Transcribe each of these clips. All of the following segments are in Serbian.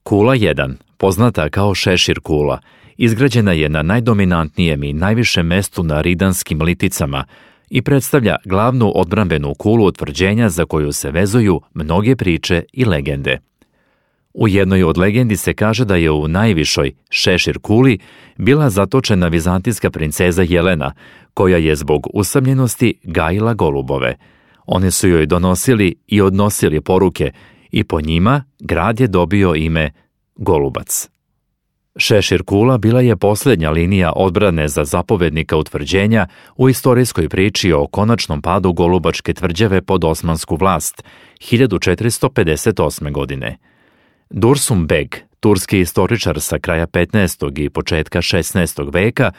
Kula 1, poznata kao Šešir kula, izgrađena je na najdominantnijem i najvišem mestu na Ridanskim liticama i predstavlja glavnu odbrambenu kulu utvrđenja za koju se vezuju mnoge priče i legende. U jednoj od legendi se kaže da je u najvišoj Šešir kuli bila zatočena vizantijska princeza Jelena, koja je zbog usamljenosti gajila golubove. One su joj donosili i odnosili poruke i po njima grad je dobio ime Golubac. Šešir kula bila je posljednja linija odbrane za zapovednika utvrđenja u istorijskoj priči o konačnom padu Golubačke tvrđave pod osmansku vlast 1458. godine. Dursum Beg, turski istoričar sa kraja 15. i početka 16. veka,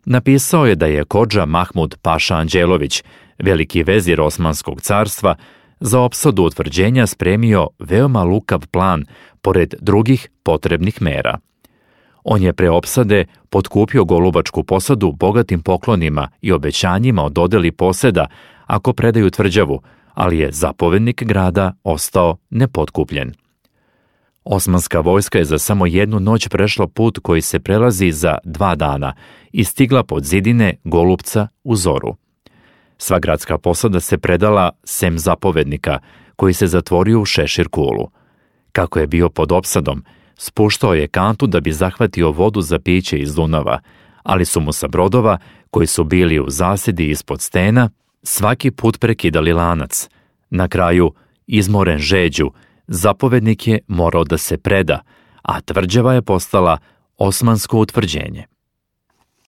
napisao je da je kodža Mahmud Paša Anđelović, veliki vezir Osmanskog carstva, za opsadu utvrđenja spremio veoma lukav plan pored drugih potrebnih mera. On je pre opsade potkupio Golubačku posadu bogatim poklonima i obećanjima o dodeli poseda ako predaju tvrđavu, ali je zapovednik grada ostao nepotkupljen. Osmanska vojska je za samo jednu noć prešla put koji se prelazi za 2 dana i stigla pod zidine Golupca u zoru. Sva gradska posada se predala sem zapovednika, koji se zatvorio u Šešir kulu. Kako je bio pod opsadom, spuštao je kantu da bi zahvatio vodu za piće iz Dunava, ali su mu sa brodova, koji su bili u zasedi ispod stena, svaki put prekidali lanac. Na kraju, izmoren žeđu, zapovednik je morao da se preda, a tvrđava je postala osmansko utvrđenje.